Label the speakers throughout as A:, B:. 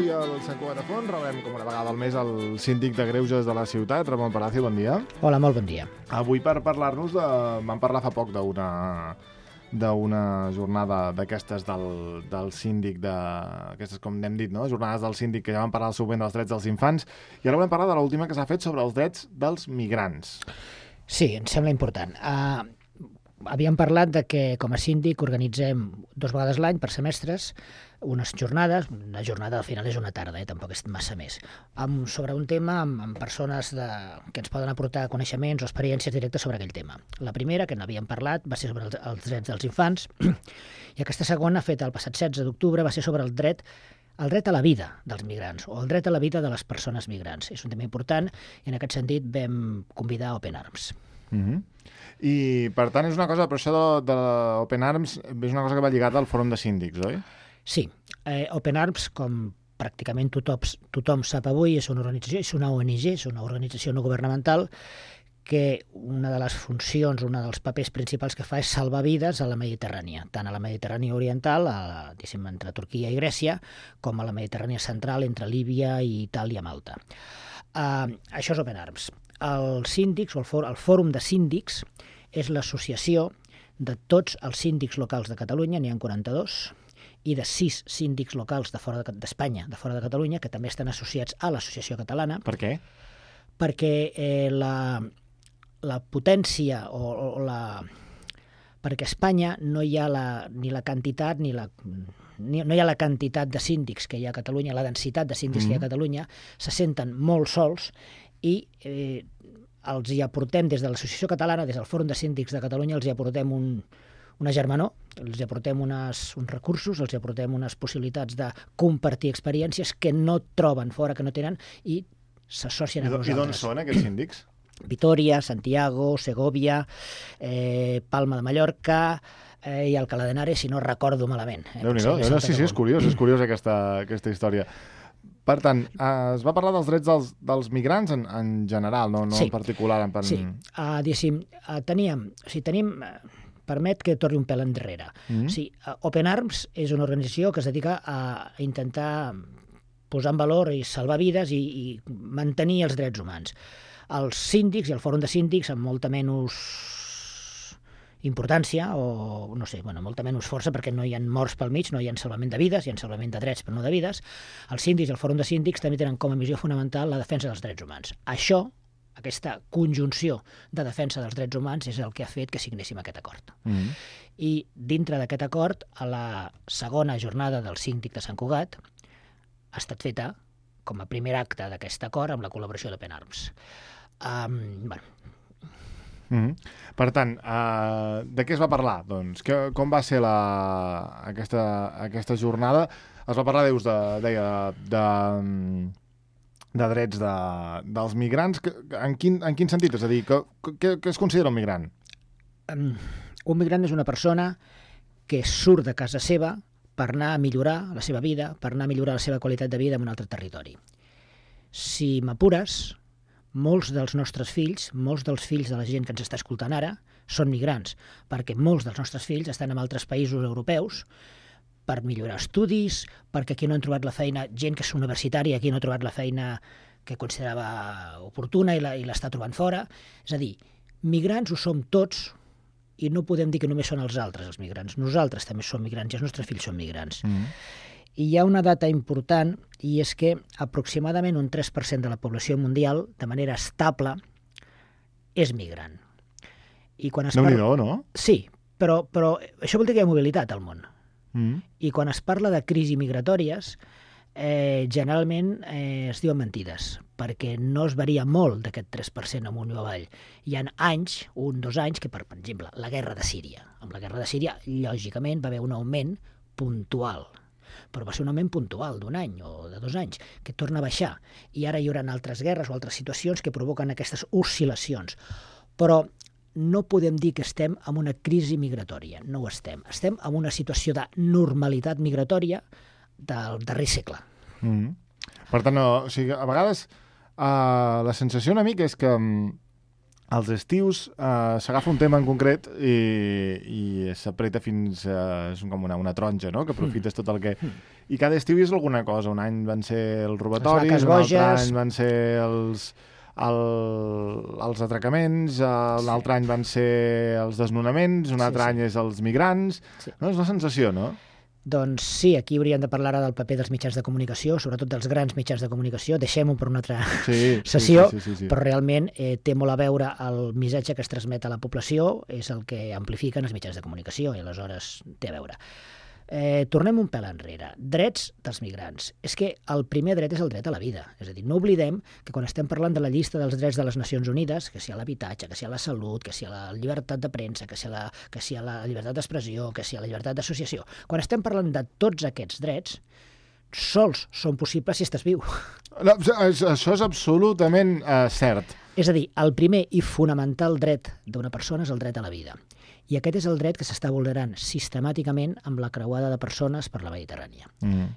A: Avui al Sant Cugat de Font rebem com una vegada al mes el síndic de Greuges de la ciutat, Ramon Palacio, bon dia.
B: Hola, molt bon dia.
A: Avui per parlar-nos de... Vam parlar fa poc d'una jornada d'aquestes del síndic aquestes, com n'hem dit, no? Jornades del síndic que ja vam parlar del subvenció dels drets dels infants, i ara volem parlar de l'última que s'ha fet sobre els drets dels migrants.
B: Sí, em sembla important. Havíem parlat de que com a síndic organitzem 2 vegades l'any per semestres unes jornades, una jornada al final és una tarda, tampoc és massa més, sobre un tema amb persones que ens poden aportar coneixements o experiències directes sobre aquell tema. La primera, que n'havíem parlat, va ser sobre els drets dels infants, i aquesta segona, feta el passat 16 d'octubre, va ser sobre el dret a la vida dels migrants, o el dret a la vida de les persones migrants. És un tema important, i en aquest sentit vam convidar Open Arms.
A: I, per tant, és una cosa, però això de l'Open Arms és una cosa que va lligada al Fòrum de Síndics, oi?
B: Sí. Open Arms, com pràcticament tothom sap avui, és una organització, és una ONG, és una organització no governamental, que una de les funcions, un dels papers principals que fa és salvar vides a la Mediterrània, tant a la Mediterrània oriental, diguéssim, entre Turquia i Grècia, com a la Mediterrània central, entre Líbia i Itàlia i Malta. Això és Open Arms. Els síndics, o el Fòrum de Síndics, és l'associació de tots els síndics locals de Catalunya, n'hi ha 42, i de 6 síndics locals d'Espanya, de fora de Catalunya, que també estan associats a l'associació catalana.
A: Per què?
B: Perquè la potència perquè a Espanya no hi ha ni la quantitat no hi ha la quantitat de síndics que hi ha a Catalunya, la densitat de síndics que hi ha a Catalunya, se senten molt sols, i els hi aportem des de l'Associació Catalana, des del Fòrum de Síndics de Catalunya, els hi aportem una germanor, els hi aportem uns recursos, els hi aportem unes possibilitats de compartir experiències que no troben fora, que no tenen, i s'associen a nosaltres.
A: I d'on són aquests síndics?
B: Vitoria, Santiago, Segovia, Palma de Mallorca i Alcalá de Henares, si no recordo malament.
A: Déu-n'hi-do. Sí, és curiós aquesta història. Per tant, es va parlar dels drets dels migrants en general, no en particular.
B: Sí, tenim... Permet que torni un pèl enrere. Open Arms és una organització que es dedica a intentar posar en valor i salvar vides i mantenir els drets humans. Els síndics i el Fòrum de Síndics, amb molta menys importància, o no sé, molta menys força, perquè no hi ha morts pel mig, no hi ha salvament de vides, hi ha salvament de drets, però no de vides. Els síndics i el Fòrum de Síndics també tenen com a missió fonamental la defensa dels drets humans. Aquesta conjunció de defensa dels drets humans és el que ha fet que signéssim aquest acord. I dintre d'aquest acord, a la segona jornada del síndic de Sant Cugat, ha estat feta com a primer acte d'aquest acord amb la col·laboració d'Open Arms.
A: Per tant, de què es va parlar? Doncs, com va ser aquesta jornada? Es va parlar, de drets dels migrants. En quin sentit? És a dir, què es considera un migrant?
B: Un migrant és una persona que surt de casa seva per anar a millorar la seva vida, per anar a millorar la seva qualitat de vida en un altre territori. Si m'apures, molts dels nostres fills, molts dels fills de la gent que ens està escoltant ara, són migrants, perquè molts dels nostres fills estan en altres països europeus per millorar estudis, perquè aquí no han trobat la feina, gent que és universitària, aquí no ha trobat la feina que considerava oportuna i l'està trobant fora. És a dir, migrants ho som tots, i no podem dir que només són els altres els migrants. Nosaltres també som migrants i els nostres fills són migrants. I hi ha una data important, i és que aproximadament un 3% de la població mundial, de manera estable, és migrant.
A: Déu-n'hi-do, no?
B: Sí, però això vol dir que hi ha mobilitat al món. I quan es parla de crisi migratòries, generalment es diuen mentides, perquè no es varia molt d'aquest 3% amunt o avall. Hi ha anys, 1-2 anys, que per exemple, la guerra de Síria. Amb la guerra de Síria, lògicament, va haver un augment puntual, però va ser un augment puntual d'un any o de 2 anys, que torna a baixar. I ara hi haurà altres guerres o altres situacions que provoquen aquestes oscil·lacions. Però no podem dir que estem en una crisi migratòria, no ho estem. Estem en una situació de normalitat migratòria del darrer segle.
A: Per tant, a vegades la sensació una mica és que als estius s'agafa un tema en concret i s'apreta fins a... és com una taronja, no?, que aprofites tot el que... I cada estiu és alguna cosa. Un any van ser els robatoris, un altre any van ser els atracaments, l'altre any van ser els desnonaments, un altre any és els migrants... No? És una sensació, no?
B: Doncs sí, aquí hauríem de parlar ara del paper dels mitjans de comunicació, sobretot dels grans mitjans de comunicació. Deixem-ho per una altra sessió, sí. Però realment té molt a veure el missatge que es transmet a la població, és el que amplifiquen els mitjans de comunicació, i aleshores té a veure. Tornem un pèl enrere. Drets dels migrants. És que el primer dret és el dret a la vida. És a dir, no oblidem que quan estem parlant de la llista dels drets de les Nacions Unides, que sia l'habitatge, que sia la salut, que sia la llibertat de premsa, que sia la llibertat d'expressió, que sia la llibertat d'associació, quan estem parlant de tots aquests drets, sols són possibles si estàs viu.
A: No, això és absolutament cert.
B: És a dir, el primer i fonamental dret d'una persona és el dret a la vida. I aquest és el dret que s'està vulnerant sistemàticament amb la creuada de persones per la Mediterrània.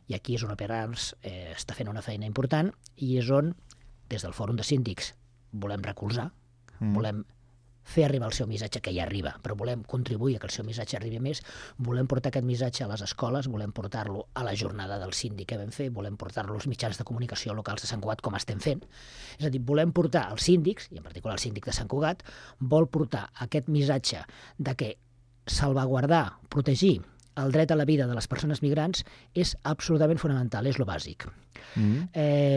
B: I aquí és on Open-Arms està fent una feina important i és on, des del Fòrum de Síndics, volem recolzar, volem fer arribar el seu missatge, que ja arriba, però volem contribuir a que el seu missatge arribi més, volem portar aquest missatge a les escoles, volem portar-lo a la jornada del síndic que vam fer, volem portar-lo als mitjans de comunicació locals de Sant Cugat, com estem fent. És a dir, volem portar als síndics, i en particular el síndic de Sant Cugat, vol portar aquest missatge de que salvaguardar, protegir el dret a la vida de les persones migrants és absolutament fonamental, és lo bàsic.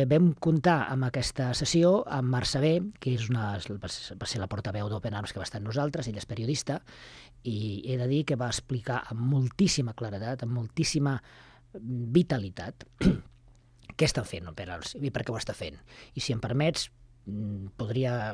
B: Vam comptar amb aquesta sessió amb Marc Sabé, que va ser la portaveu d'Open-Arms que va estar amb nosaltres, ell és periodista, i he de dir que va explicar amb moltíssima claredat, amb moltíssima vitalitat, què estan fent Open-Arms i per què ho està fent. I si em permets, podria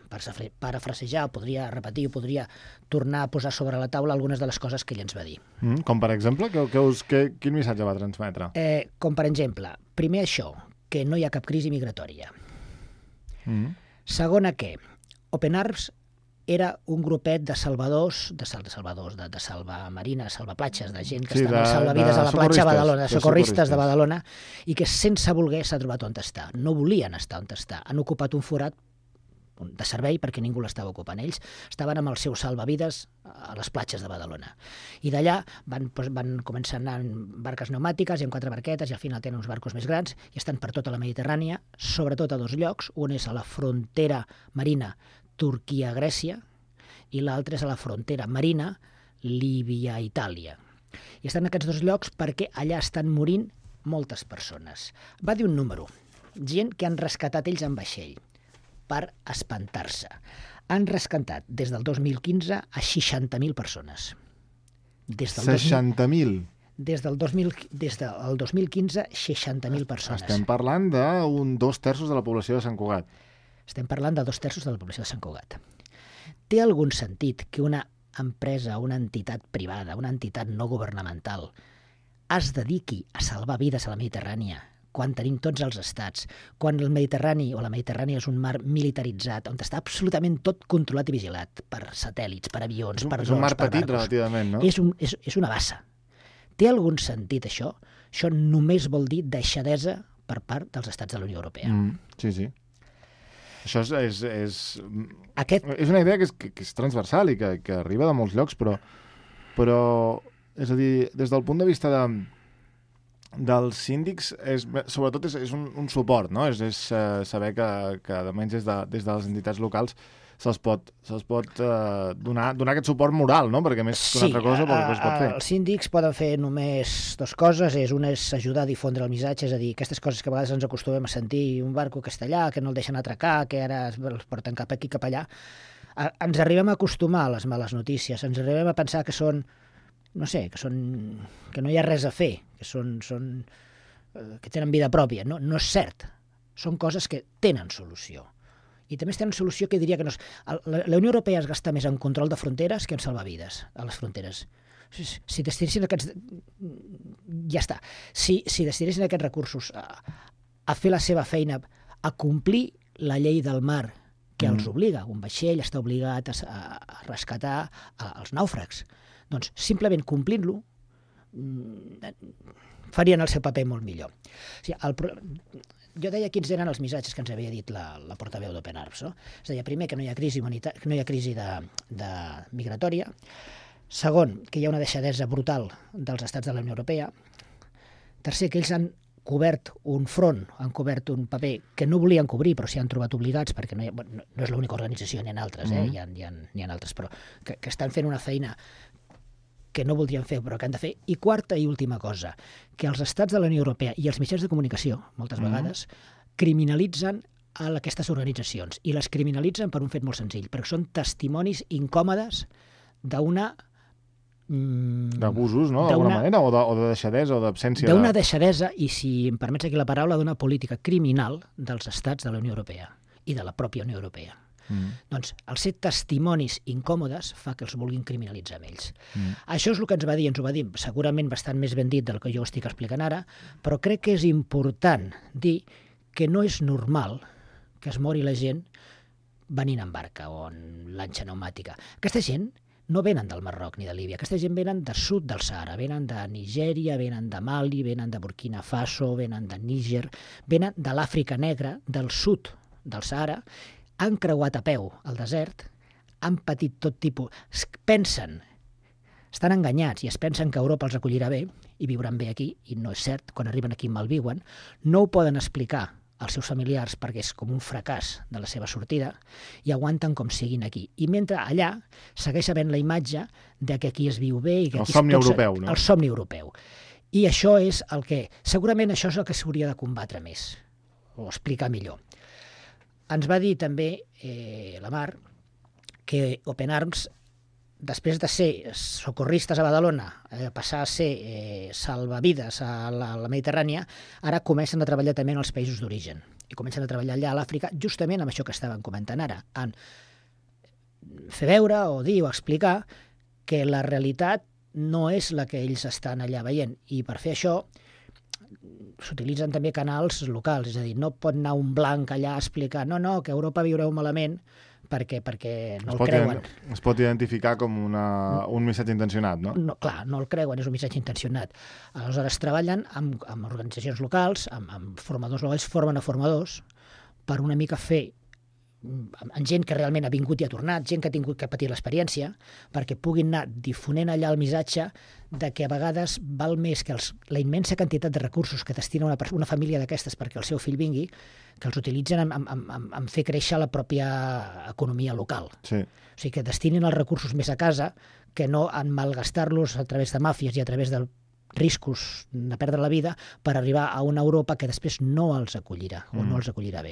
B: parafrasejar, podria repetir, podria tornar a posar sobre la taula algunes de les coses que ell ens va dir.
A: Com per exemple? Quin missatge va transmetre?
B: Com per exemple, primer això, que no hi ha cap crisi migratòria. Segona, que Open-Arms era un grupet de salvadors, de salvamarines, salvaplatges, de gent que estava a salvavides a la platja de Badalona, de socorristes de Badalona, i que sense voler s'ha trobat on està. No volien estar on està. Han ocupat un forat de servei perquè ningú l'estava ocupant. Ells estaven amb els seus salvavides a les platges de Badalona. I d'allà van començar a anar en barques pneumàtiques i amb 4 barquetes, i al final tenen uns barcos més grans i estan per tota la Mediterrània, sobretot a 2 llocs. Un és a la frontera marina Turquia-Grècia i l'altre és a la frontera marina Líbia-Itàlia. I estan en aquests 2 llocs perquè allà estan morint moltes persones. Va dir un número, gent que han rescatat ells en vaixell, per espantar-se. Han rescatat des del 2015 a 60.000 persones.
A: 60.000?
B: Des del 2015, 60.000 persones.
A: Estem parlant d'un 2/3 de la població de Sant Cugat.
B: Estem parlant de 2/3 de la població de Sant Cugat. Té algun sentit que una empresa, una entitat privada, una entitat no governamental, es dediqui a salvar vides a la Mediterrània, quan tenim tots els estats, quan el Mediterrani o la Mediterrània és un mar militaritzat, on està absolutament tot controlat i vigilat per satèl·lits, per avions, per drones, per barcos. És un mar petit,
A: relativament, no?
B: És una bassa. Té algun sentit això? Això només vol dir deixadesa per part dels estats de la Unió Europea.
A: Sí. Això és una idea que és transversal i que arriba de molts llocs, però és a dir, des del punt de vista dels síndics, sobretot és un suport, no? És saber que almenys des de les entitats locals se'ls pot donar aquest suport moral, no? Perquè més que una altra cosa poc es pot fer.
B: Els síndics poden fer només 2 coses. Una és ajudar a difondre el missatge, és a dir, aquestes coses que a vegades ens acostumem a sentir, un barco que està allà, que no el deixen atracar, que ara els porten cap aquí, cap allà. Ens arribem a acostumar a les males notícies, ens arribem a pensar que són, no sé, que no hi ha res a fer, que tenen vida pròpia. No és cert. Són coses que tenen solució. I també tenen solució que diria que no és... La Unió Europea es gasta més en control de fronteres que en salvar vides a les fronteres. Si destinessin aquests... Ja està. Si destinessin aquests recursos a fer la seva feina, a complir la llei del mar que els obliga, un vaixell està obligat a rescatar els nàufrags, doncs simplement complint-lo farien el seu paper molt millor. O sigui, jo deia quins eren els missatges que ens havia dit la portaveu d'Open Arms. No? És a dir, primer, que no hi ha crisi migratòria. Segon, que hi ha una deixadesa brutal dels estats de la Unió Europea. Tercer, que ells han cobert un front, han cobert un paper que no volien cobrir, però s'hi han trobat obligats, perquè no és l'única organització, n'hi ha altres, n'hi ha altres, però que estan fent una feina que no voldrien fer, però que han de fer. I quarta i última cosa, que els estats de la Unió Europea i els mitjans de comunicació, moltes vegades, criminalitzen a aquestes organitzacions, i les criminalitzen per un fet molt senzill, perquè són testimonis incòmodes d'una...
A: d'abusos, no? D'alguna manera, o de deixadesa, o d'absència
B: d'una deixadesa, i si em permets aquí la paraula, d'una política criminal dels estats de la Unió Europea i de la pròpia Unió Europea. Doncs el ser testimonis incòmodes fa que els vulguin criminalitzar amb ells. Això és el que ens va dir segurament bastant més ben dit del que jo estic explicant ara, però crec que és important dir que no és normal que es mori la gent venint en barca o en lanxa pneumàtica. Aquesta gent no venen del Marroc ni de Líbia. Aquesta gent venen del sud del Sàhara, venen de Nigèria, venen de Mali, venen de Burkina Faso, venen de Níger, venen de l'Àfrica Negra, del sud del Sàhara, han creuat a peu el desert, han patit tot tipus... Estan enganyats i es pensen que Europa els acollirà bé i viuran bé aquí, i no és cert, quan arriben aquí malviuen, no ho poden explicar als seus familiars perquè és com un fracàs de la seva sortida, i aguanten com siguin aquí. I mentre allà segueix havent la imatge de que aquí es viu bé... I que
A: el somni europeu, no?
B: El somni europeu. I això és el que... Segurament això és el que s'hauria de combatre més, o explicar millor. Ens va dir també la Mar que Open Arms, després de ser socorristes a Badalona, passar a ser salvavides a la Mediterrània, ara comencen a treballar també en els països d'origen. I comencen a treballar allà a l'Àfrica, justament amb això que estàvem comentant ara, en fer veure o dir o explicar que la realitat no és la que ells estan allà veient. I per fer això s'utilitzen també canals locals, és a dir, no pot anar un blanc allà a explicar no, que a Europa viureu malament, perquè no el creuen.
A: Es pot identificar com un missatge intencionat, no?
B: No, clar, no el creuen, és un missatge intencionat. Aleshores treballen amb organitzacions locals, amb formadors locals, formen a formadors per una mica fer amb gent que realment ha vingut i ha tornat, gent que ha tingut que patir l'experiència, perquè puguin anar difonent allà el missatge de que a vegades val més que la immensa quantitat de recursos que destina una família d'aquestes perquè el seu fill vingui, que els utilitzen en fer créixer la pròpia economia local.
A: Sí.
B: O sigui, que destinin els recursos més a casa que no en malgastar-los a través de màfies i a través de riscos de perdre la vida per arribar a una Europa que després no els acollirà o no els acollirà bé.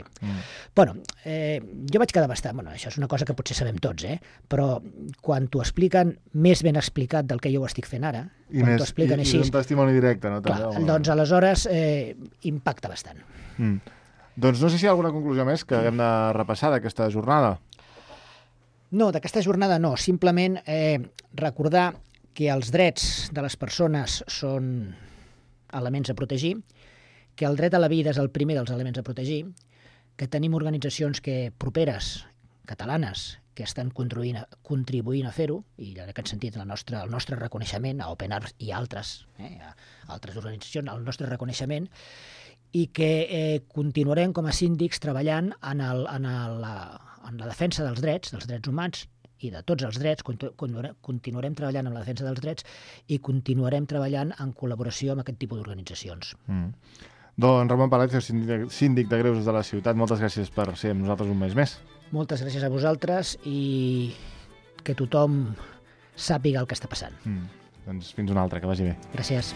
B: Bueno, jo vaig quedar bastant... Bueno, això és una cosa que potser sabem tots, però quan t'ho expliquen més ben explicat del que jo ho estic fent ara, quan t'ho expliquen així...
A: I un testimoni directe, no?
B: Clar, doncs aleshores impacta bastant.
A: Doncs no sé si hi ha alguna conclusió més que haguem de repassar d'aquesta jornada.
B: No, d'aquesta jornada no. Simplement recordar que els drets de les persones són elements a protegir, que el dret a la vida és el primer dels elements a protegir, que tenim organitzacions properes, catalanes, que estan contribuint a fer-ho, i en aquest sentit el nostre reconeixement a Open Arms i altres organitzacions, el nostre reconeixement, i que continuarem com a síndics treballant en la defensa dels drets humans, i de tots els drets, continuarem treballant en la defensa dels drets i continuarem treballant en col·laboració amb aquest tipus d'organitzacions.
A: Doncs Ramon Palacio, síndic de Greuges de la ciutat, moltes gràcies per ser amb nosaltres un mes més.
B: Moltes gràcies a vosaltres i que tothom sàpiga el que està passant.
A: Doncs fins una altra, que vagi bé.
B: Gràcies.